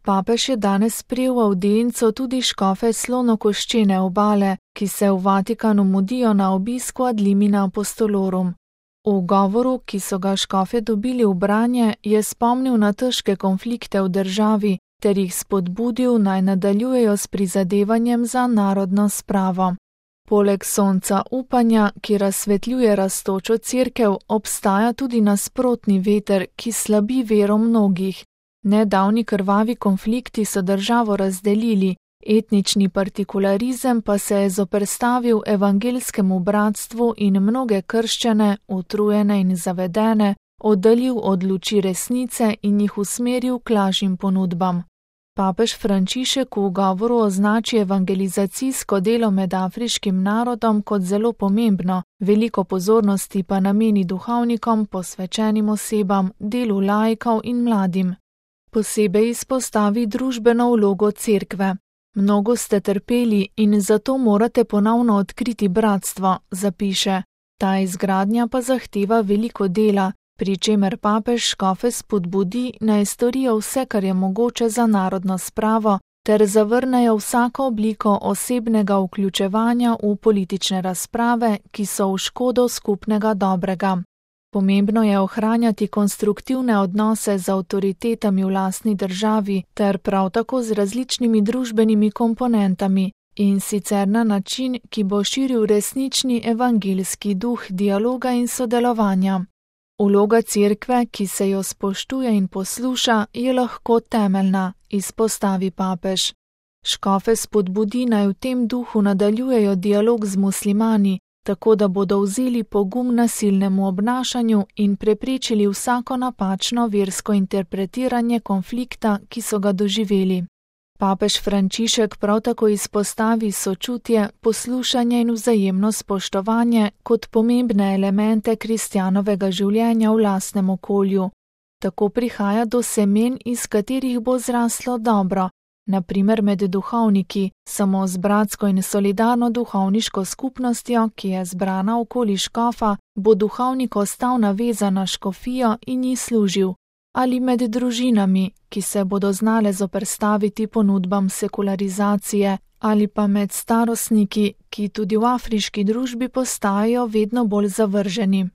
Papež je danes sprejel v audienco tudi škofe Slonokoščene obale, ki se v Vatikanu mudijo na obisku ad limina apostolorum. V govoru, ki so ga škofe dobili v branje, je spomnil na težke konflikte v državi ter jih spodbudil, naj nadaljujejo s prizadevanjem za narodno spravo. Poleg sonca upanja, ki razsvetljuje rastočo cerkev, obstaja tudi nasprotni veter, ki slabi vero mnogih. Nedavni krvavi konflikti so državo razdelili, etnični partikularizem pa se je zoperstavil evangelskemu bratstvu in mnoge krščane, utrujene in zavedene, oddaljil od luči resnice in jih usmeril k lažjim ponudbam. Papež Frančišek v govoru označi evangelizacijsko delo med afriškim narodom kot zelo pomembno, veliko pozornosti pa nameni duhovnikom, posvečenim osebam, delu laikov in mladim. Posebej izpostavi družbeno vlogo cerkve. Mnogo ste trpeli in zato morate ponovno odkriti bratstvo, zapiše. Ta izgradnja pa zahteva veliko dela, pri čemer papež škofe spodbudi, naj storijo vse, kar je mogoče za narodno spravo, ter zavrnejo vsako obliko osebnega vključevanja v politične razprave, ki so v škodo skupnega dobrega. Pomembno je ohranjati konstruktivne odnose z avtoritetami v lastni državi ter prav tako z različnimi družbenimi komponentami, in sicer na način, ki bo širil resnični evangeljski duh dialoga in sodelovanja. Vloga cerkve, ki se jo spoštuje in posluša, je lahko temeljna, izpostavi papež. Škofe spodbudi, naj v tem duhu nadaljujejo dialog z muslimani, tako da bodo vzeli pogum nasilnemu obnašanju in preprečili vsako napačno versko interpretiranje konflikta, ki so ga doživeli. Papež Frančišek prav tako izpostavi sočutje, poslušanje in vzajemno spoštovanje kot pomembne elemente kristjanovega življenja v lastnem okolju. Tako prihaja do semen, iz katerih bo zraslo dobro, na primer med duhovniki, samo z bratsko in solidarno duhovniško skupnostjo, ki je zbrana okoli škofa, bo duhovnik ostal navezan na škofijo in ji služil, ali med družinami, ki se bodo znale zoperstaviti ponudbam sekularizacije, ali pa med starostniki, ki tudi v afriški družbi postajajo vedno bolj zavrženi.